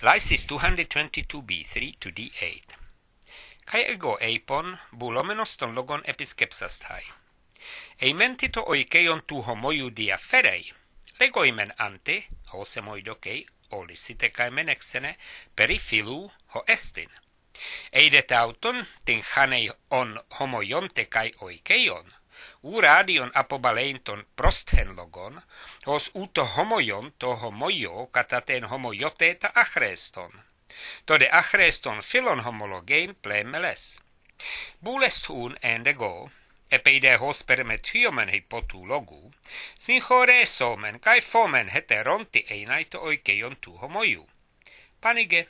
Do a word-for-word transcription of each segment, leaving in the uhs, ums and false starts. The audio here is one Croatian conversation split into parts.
Lysis two hundred twenty-two b three to d eight. Kai ego eipon bulomenos ton logon episkepsastai. Eimentito oikeion tu homoiu diaferei, legoimen ante, hosemoidokei, olisite kai menexene, perifilu ho estin. Eidet auton, tin hanei on homoionte kai oikeion, uradion apobaleinton prosthen logon, hos uto homoion to homoio kataten homoioteta achreston. Tode achreston filon homologein plemeles. Bulest hun endego, epeide hos permethyomen hypotologu, sin chore somen kai fomen heteronti einaito oikeion tu homoiu. Panige.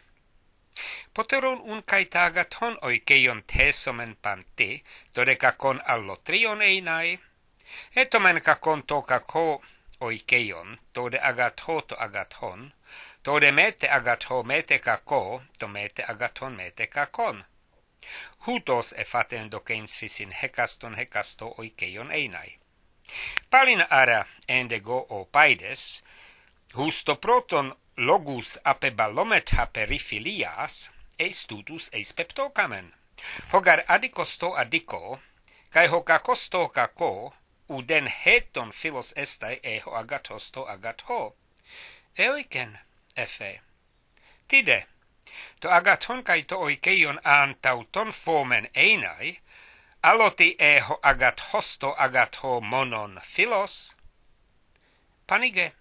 Poteron un kai tagaton oikeion tesomen panti, tode kakon allotrion einai, etomen kakon to kako oikeion, tode agatho to agathon, tode mete agatho mete kako, to mete agathon mete kakon. Hutos efaten dokeins fisin hekaston hekasto oikeion einai. Palin ara endego o paides, husto proton logus apebalometha perifilias, eis tutus eis peptokamen. Hogar adikosto adiko, kai hokakosto kako, uden heton filos estai eho agatosto agatho. Eoiken, efe. Tide, to agathon kai to oikeion antauton fomen einai, aloti eho agathosto agatho monon filos. Panige.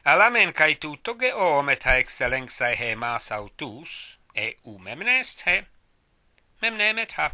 Alamen kai tu toge o meta excellenxae he mas autus, e u memnest he, memnemet ha.